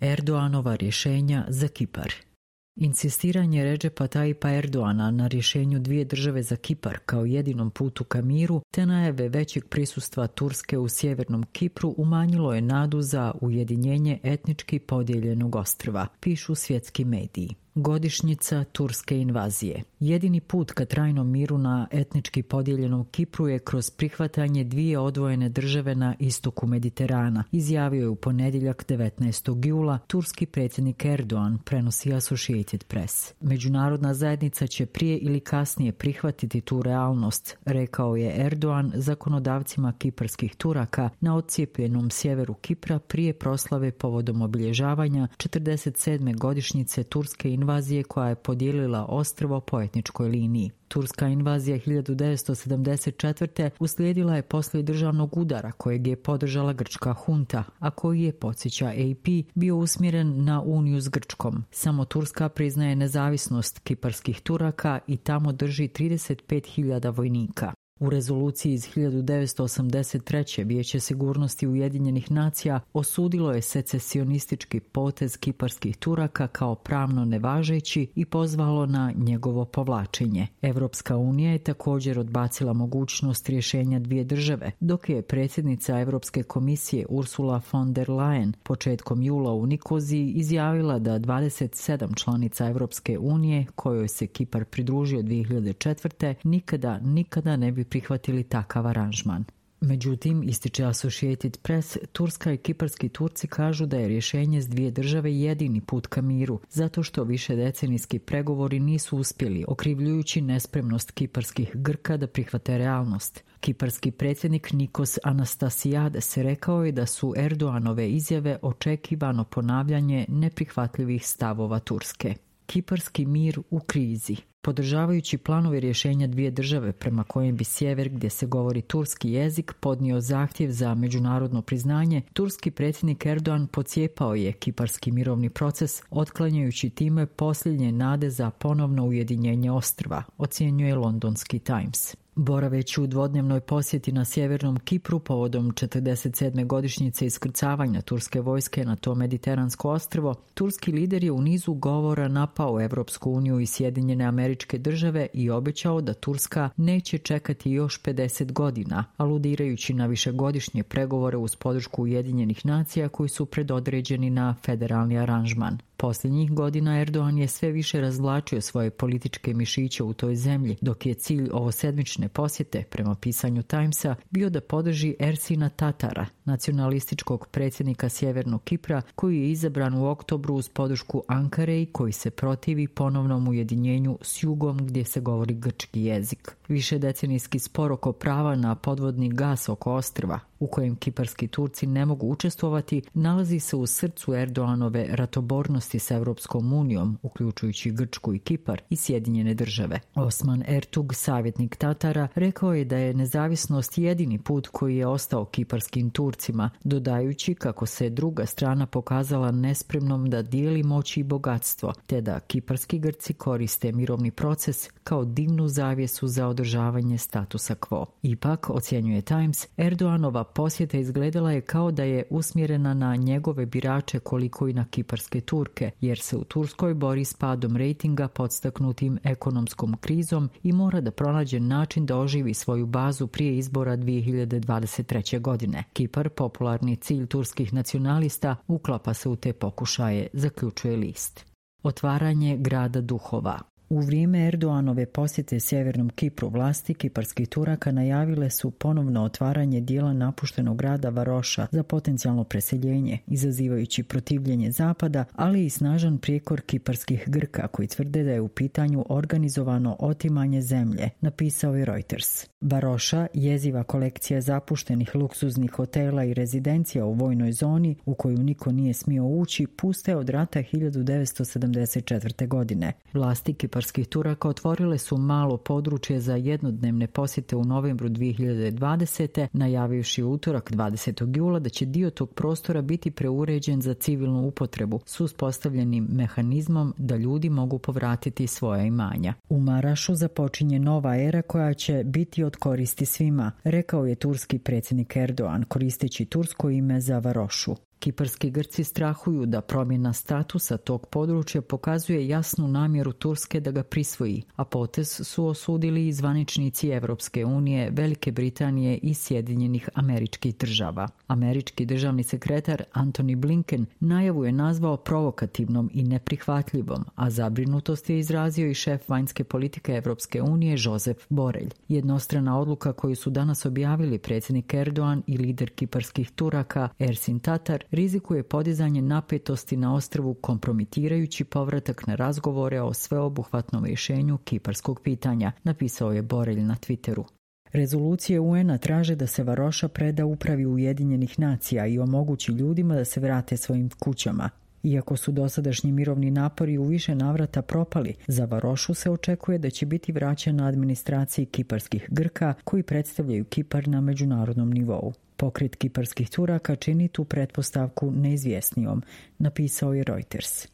Erdoganova rješenja za Kipar. Insistiranje Redžepa Tayyipa Erdogana na rješenju dvije države za Kipar kao jedinom putu ka miru te najave većeg prisustva Turske u sjevernom Kipru umanjilo je nadu za ujedinjenje etnički podijeljenog ostrva, pišu svjetski mediji. Godišnjica turske invazije. Jedini put ka trajnom miru na etnički podijeljenom Kipru je kroz prihvatanje dvije odvojene države na istoku Mediterana, izjavio je u ponedjeljak 19. jula turski predsjednik Erdogan, prenosi Associated Press. Međunarodna zajednica će prije ili kasnije prihvatiti tu realnost, rekao je Erdogan zakonodavcima kiparskih Turaka na odcijepljenom sjeveru Kipra prije proslave povodom obilježavanja 47. godišnjice turske invazije koja je podijelila ostrvo po etničkoj liniji. Turska invazija 1974. uslijedila je poslije državnog udara kojeg je podržala grčka hunta, a koji je, podsjeća AP, bio usmjeren na uniju s Grčkom. Samo Turska priznaje nezavisnost kiparskih Turaka i tamo drži 35.000 vojnika. U rezoluciji iz 1983. Vijeće sigurnosti Ujedinjenih nacija osudilo je secesionistički potez kiparskih Turaka kao pravno nevažeći i pozvalo na njegovo povlačenje. Europska unija je također odbacila mogućnost rješenja dvije države, dok je predsjednica Europske komisije Ursula von der Leyen početkom jula u Nikoziji izjavila da 27 članica Europske unije, kojoj se Kipar pridružio 2004. nikada ne bi prihvatili takav aranžman. Međutim, ističe Associated Press, Turska i kiparski Turci kažu da je rješenje s dvije države jedini put ka miru, zato što višedecenijski pregovori nisu uspjeli, okrivljujući nespremnost kiparskih Grka da prihvate realnost. Kiparski predsjednik Nikos Anastasiades rekao je da su Erdoganove izjave očekivano ponavljanje neprihvatljivih stavova Turske. Kiparski mir u krizi. Podržavajući planove rješenja dvije države prema kojem bi sjever, gdje se govori turski jezik, podnio zahtjev za međunarodno priznanje, turski predsjednik Erdogan pocijepao je kiparski mirovni proces, otklanjajući time posljednje nade za ponovno ujedinjenje ostrva, ocjenjuje londonski Times. Boraveći u dvodnevnoj posjeti na sjevernom Kipru povodom 47. godišnjice iskrcavanja turske vojske na to mediteransko ostrvo, turski lider je u nizu govora napao Evropsku uniju i Sjedinjene Američke Države i obećao da Turska neće čekati još 50 godina, aludirajući na višegodišnje pregovore uz podršku Ujedinjenih nacija koji su predodređeni na federalni aranžman. Posljednjih godina Erdogan je sve više razvlačio svoje političke mišiće u toj zemlji, dok je cilj ovosedmične posjete, prema pisanju Timesa, bio da podrži Ersina Tatara, nacionalističkog predsjednika Sjevernog Kipra, koji je izabran u oktobru uz podršku Ankare i koji se protivi ponovnom ujedinjenju s jugom gdje se govori grčki jezik. Višedecenijski spor oko prava na podvodni gas oko ostrva, u kojem kiparski Turci ne mogu učestvovati, nalazi se u srcu Erdoganove ratobornosti s Europskom unijom, uključujući Grčku i Kipar i Sjedinjene Države. Osman Ertug, savjetnik Tatara, rekao je da je nezavisnost jedini put koji je ostao kiparskim Turcima, dodajući kako se druga strana pokazala nespremnom da dijeli moć i bogatstvo, te da kiparski Grci koriste mirovni proces kao dimnu zavjesu za održavanje statusa quo. Ipak, ocjenjuje Times, Erdoganova posjeta izgledala je kao da je usmjerena na njegove birače koliko i na kiparske Turke, jer se u Turskoj bori s padom rejtinga podstaknutim ekonomskom krizom i mora da pronađe način da oživi svoju bazu prije izbora 2023. godine. Kipar, popularni cilj turskih nacionalista, uklapa se u te pokušaje, zaključuje list. Otvaranje grada duhova. U vrijeme Erdoganove posjete sjevernom Kipru vlasti kiparskih Turaka najavile su ponovno otvaranje dijela napuštenog grada Varoša za potencijalno preseljenje, izazivajući protivljenje Zapada, ali i snažan prijekor kiparskih Grka koji tvrde da je u pitanju organizovano otimanje zemlje, napisao je Reuters. Varoša, jeziva kolekcija zapuštenih luksuznih hotela i rezidencija u vojnoj zoni u koju niko nije smio ući, pusta je od rata 1974. godine. Vlasti kiparskih Turaka otvorile su malo područje za jednodnevne posjete u novembru 2020. najavivši utorak 20. jula da će dio tog prostora biti preuređen za civilnu upotrebu s uspostavljenim mehanizmom da ljudi mogu povratiti svoja imanja. U Marašu započinje nova era koja će biti od koristi svima, rekao je turski predsjednik Erdogan koristeći tursko ime za Varošu. Kiparski Grci strahuju da promjena statusa tog područja pokazuje jasnu namjeru Turske da ga prisvoji, a potez su osudili i zvaničnici Evropske unije, Velike Britanije i Sjedinjenih Američkih Država. Američki državni sekretar Antony Blinken najavu je nazvao provokativnom i neprihvatljivom, a zabrinutost je izrazio i šef vanjske politike Evropske unije Josep Borrell. Jednostrana odluka koju su danas objavili predsjednik Erdogan i lider kiparskih Turaka Ersin Tatar rizikuje podizanje napetosti na ostrvu, kompromitirajući povratak na razgovore o sveobuhvatnom rješenju kiparskog pitanja, napisao je Borrell na Twitteru. Rezolucije UN-a traže da se Varoša preda upravi Ujedinjenih nacija i omogući ljudima da se vrate svojim kućama. Iako su dosadašnji mirovni napori u više navrata propali, za Varošu se očekuje da će biti vraćena administraciji kiparskih Grka koji predstavljaju Kipar na međunarodnom nivou. Pokret kiparskih Turaka čini tu pretpostavku neizvjesnijom, napisao je Reuters.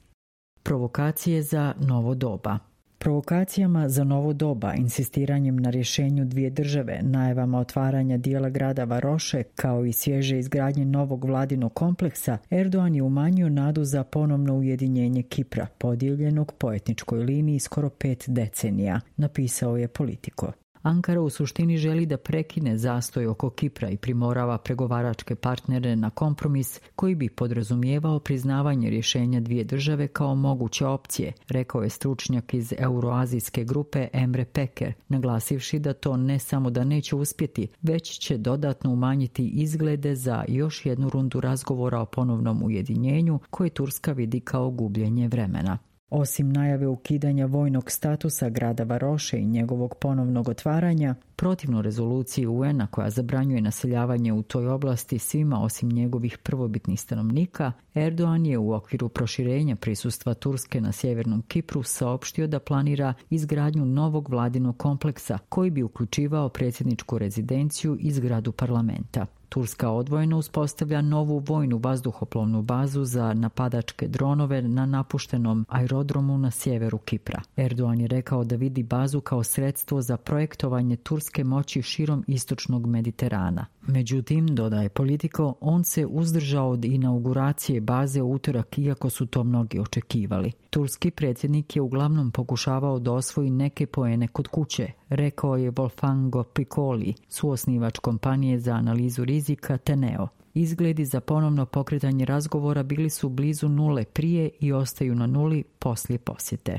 Provokacije za novo doba. Provokacijama za novo doba, insistiranjem na rješenju dvije države, najavama otvaranja dijela grada Varoše, kao i svježe izgradnje novog vladinog kompleksa, Erdogan je umanjio nadu za ponovno ujedinjenje Kipra, podijeljenog po etničkoj liniji skoro 5 decenija, napisao je Politico. Ankara u suštini želi da prekine zastoj oko Kipra i primorava pregovaračke partnere na kompromis koji bi podrazumijevao priznavanje rješenja dvije države kao moguće opcije, rekao je stručnjak iz euroazijske grupe Emre Peker, naglasivši da to ne samo da neće uspjeti, već će dodatno umanjiti izglede za još jednu rundu razgovora o ponovnom ujedinjenju koje Turska vidi kao gubljenje vremena. Osim najave ukidanja vojnog statusa grada Varoše i njegovog ponovnog otvaranja, protivno rezoluciji UN-a koja zabranjuje naseljavanje u toj oblasti svima osim njegovih prvobitnih stanovnika, Erdogan je u okviru proširenja prisustva Turske na sjevernom Kipru saopštio da planira izgradnju novog vladinog kompleksa koji bi uključivao predsjedničku rezidenciju i zgradu parlamenta. Turska odvojeno uspostavlja novu vojnu vazduhoplovnu bazu za napadačke dronove na napuštenom aerodromu na sjeveru Kipra. Erdogan je rekao da vidi bazu kao sredstvo za projektovanje turske moći širom istočnog Mediterana. Međutim, dodaje Politico, on se uzdržao od inauguracije baze u utorak iako su to mnogi očekivali. Turski predsjednik je uglavnom pokušavao da osvoji neke poene kod kuće, rekao je Wolfgango Piccoli, suosnivač kompanije za analizu rizika Teneo. Izgledi za ponovno pokretanje razgovora bili su blizu nule prije i ostaju na nuli poslije posjete.